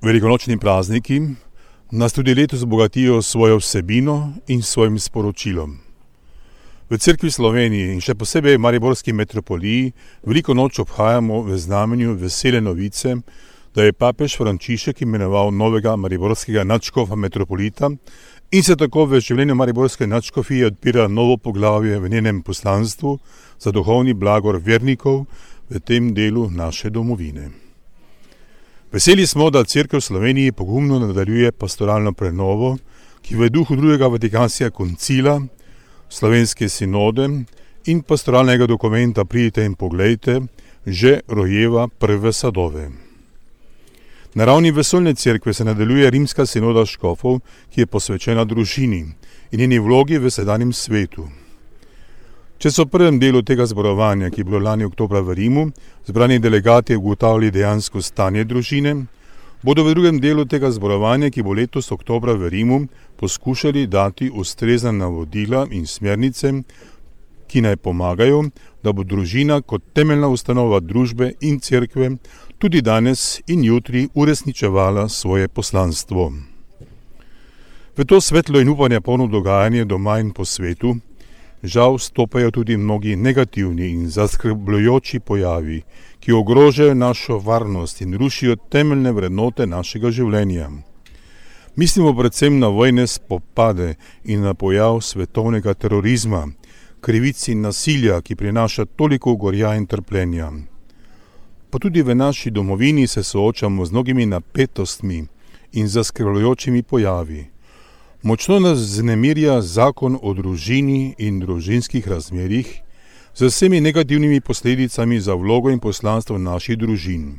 Velikonočni prazniki nas tudi letos obogatijo svojo vsebino in svojim sporočilom. V Cerkvi Sloveniji in še posebej v mariborski metropoliji veliko noč obhajamo v znamenju vesele novice, da je papež Frančišek imenoval novega mariborskega nadškofa metropolita in se tako v življenju mariborske nadškofije odpira novo poglavje v njenem poslanstvu za duhovni blagor vernikov v tem delu naše domovine. Veseli smo, da Cerkev v Sloveniji pogumno nadaljuje pastoralno prenovo, ki v duhu drugega Vatikanskega koncila, slovenske sinode in pastoralnega dokumenta Pridite in poglejte, že rojeva prve sadove. Na ravni vesoljne cerkve se nadaljuje rimska sinoda škofov, ki je posvečena družini in njeni vlogi v sedanjem svetu. Če so v prvem delu tega zborovanja, ki je bilo lani oktobra v Rimu, zbrani delegati ugotavljali dejansko stanje družine, bodo v drugem delu tega zborovanja, ki bo letos oktobra v Rimu, poskušali dati ustrezna navodila in smernice, ki naj pomagajo, da bo družina kot temeljna ustanova družbe in cerkve tudi danes in jutri uresničevala svoje poslanstvo. V to svetlo in upanja polno dogajanje doma in po svetu žal stopajo tudi mnogi negativni in zaskrbljujoči pojavi, ki ogrožajo našo varnost in rušijo temeljne vrednote našega življenja. Mislimo predvsem na vojne spopade in na pojav svetovnega terorizma, krivic in nasilja, ki prinaša toliko gorja in trpljenja. Pa tudi v naši domovini se soočamo z mnogimi napetostmi in zaskrbljujočimi pojavi. Močno nas vznemirja zakon o družini in družinskih razmerjih z vsemi negativnimi posledicami za vlogo in poslanstvo naših družin.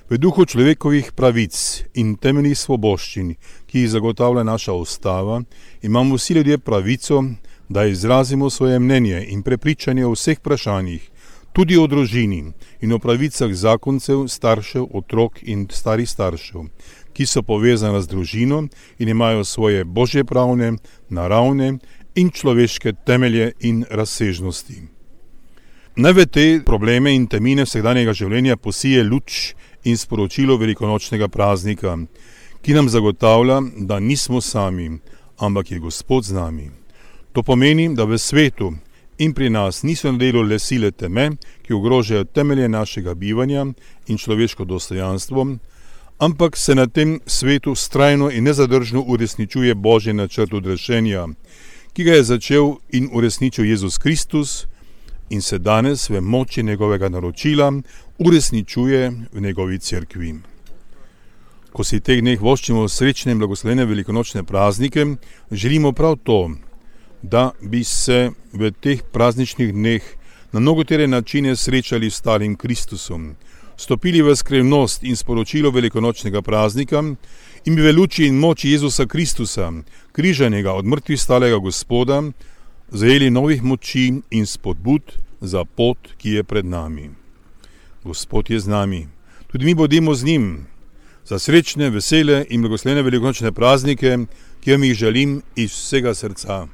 V duhu človekovih pravic in temeljnih svoboščin, ki jih zagotavlja naša ustava, imamo vsi ljudje pravico, da izrazimo svoje mnenje in prepričanje o vseh vprašanjih, tudi o družini in o pravicah zakoncev, staršev, otrok in starih staršev, ki so povezane z družino in imajo svoje božjepravne, naravne in človeške temelje in razsežnosti. Naj v te probleme in temine vsakdanjega življenja posije luč in sporočilo velikonočnega praznika, ki nam zagotavlja, da nismo sami, ampak je Gospod z nami. To pomeni, da v svetu in pri nas niso na delu le sile teme, ki ogrožajo temelje našega bivanja in človeško dostojanstvo, ampak se na tem svetu vztrajno in nezadržno uresničuje Božji načrt odrešenja, ki ga je začel in uresničil Jezus Kristus in se danes v moči njegovega naročila uresničuje v njegovi cerkvi. Ko si teh dneh voščimo srečne in blagoslovene velikonočne praznike, želimo prav to, da bi se v teh prazničnih dneh na mnogotere načine srečali s starim Kristusom, stopili v skrivnost in sporočilo velikonočnega praznika in bi v luči in moči Jezusa Kristusa, križanega od mrtvih stalega Gospoda, zajeli novih moči in spodbud za pot, ki je pred nami. Gospod je z nami, tudi mi bodimo z njim, za srečne, vesele in blagoslovene velikonočne praznike, ki vam jih želim iz vsega srca.